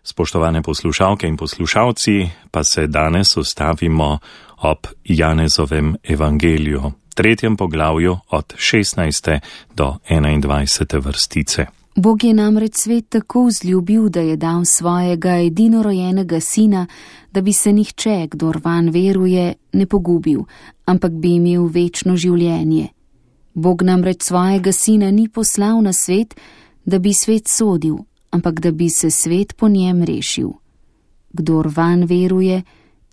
Spoštovane poslušalke in poslušalci, pa se danes ustavimo ob Janezovem evangeliju, 3. poglavju od 16. do 21. vrstice. Bog je namreč svet tako vzljubil, da je dal svojega edinorojenega sina, da bi se nihče, kdor vanj veruje, ne pogubil, ampak bi imel večno življenje. Bog namreč svojega sina ni poslal na svet, da bi svet sodil, ampak da bi se svet po njem rešil. Kdor vanj veruje,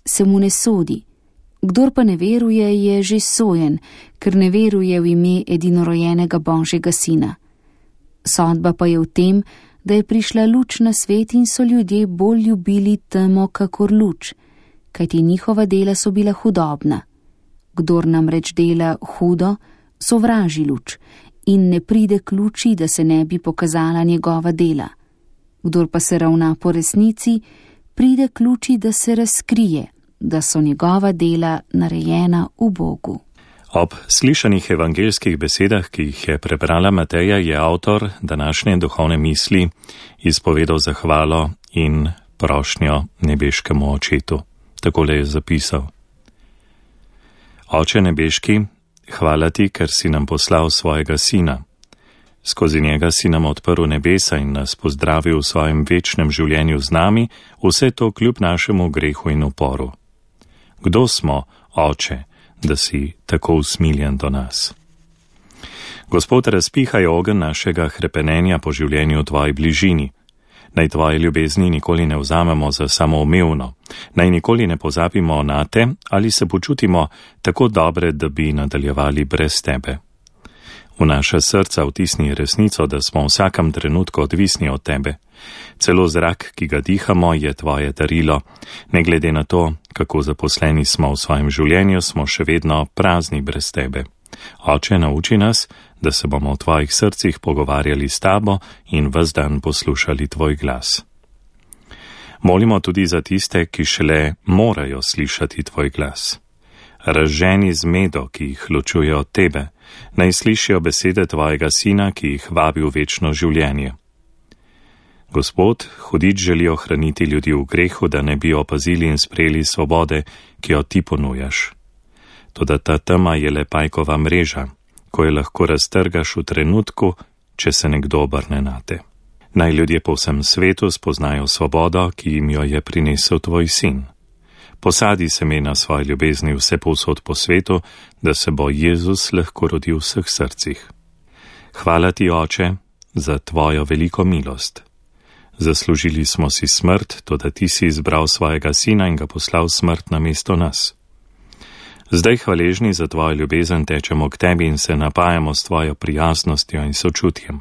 se mu ne sodi. Kdor pa ne veruje, je že sojen, ker ne veruje v ime edinorojenega Božjega sina. Sodba pa je v tem, da je prišla luč na svet in so ljudje bolj ljubili temo kakor luč, kajti njihova dela so bila hudobna. Kdor namreč dela hudo, sovraži luč in ne pride k luči, da se ne bi pokazala njegova dela. Kdor pa se ravna po resnici, pride k luči, da se razkrije, da so njegova dela narejena v Bogu. Ob slišanih evangeljskih besedah, ki jih je prebrala Mateja, je avtor današnje duhovne misli izpovedal zahvalo in prošnjo nebeškemu očetu. Takole je zapisal: Oče nebeški, hvala ti, ker si nam poslal svojega sina. Skozi njega si nam odprl nebesa in nas pozdravil v svojem večnem življenju z nami, vse to kljub našemu grehu in uporu. Kdo smo, Oče, da si tako usmiljen do nas? Gospod, razpihaj ogenj našega hrepenenja po življenju v tvoji bližini. Naj tvoje ljubezni nikoli ne vzamemo za samoumevno, naj nikoli ne pozabimo na te ali se počutimo tako dobre, da bi nadaljevali brez tebe. V naša srca vtisni resnico, da smo v vsakem trenutku odvisni od tebe. Celo zrak, ki ga dihamo, je tvoje darilo. Ne glede na to, kako zaposleni smo v svojem življenju, smo še vedno prazni brez tebe. Oče, nauči nas, da se bomo v tvojih srcih pogovarjali s tabo in ves dan poslušali tvoj glas. Molimo tudi za tiste, ki šele morajo slišati tvoj glas. Razženi zmedo, ki jih ločuje od tebe, naj slišijo besede tvojega sina, ki jih vabi v večno življenje. Gospod, hudič želi ohraniti ljudi v grehu, da ne bi opazili in sprejeli svobode, ki jo ti ponujaš. Toda ta tema je le pajkova mreža, ko jo lahko raztrgaš v trenutku, če se nekdo obrne nate. Naj ljudje po vsem svetu spoznajo svobodo, ki jim jo je prinesel tvoj sin. Posadi semena svoje ljubezni vse povsod po svetu, da se bo Jezus lahko rodil v vseh srcih. Hvala ti, Oče, za tvojo veliko milost. Zaslužili smo si smrt, toda ti si izbral svojega sina in ga poslal smrt namesto nas. Zdaj hvaležni za tvojo ljubezen tečemo k tebi in se napajamo s tvojo prijaznostjo in sočutjem.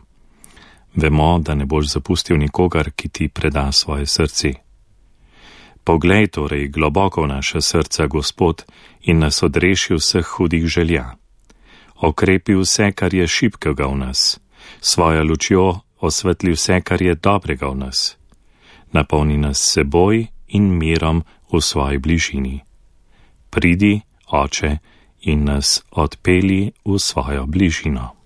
Vemo, da ne boš zapustil nikogar, ki ti preda svoje srce. Poglej torej globoko v naše srca, Gospod, in nas odreši vseh hudih želja. Okrepi vse, kar je šibkega v nas, svojo lučjo osvetli vse, kar je dobrega v nas. Napolni nas seboj in mirom v svoji bližini. Pridi, Oče, in nas odpelji v svojo bližino.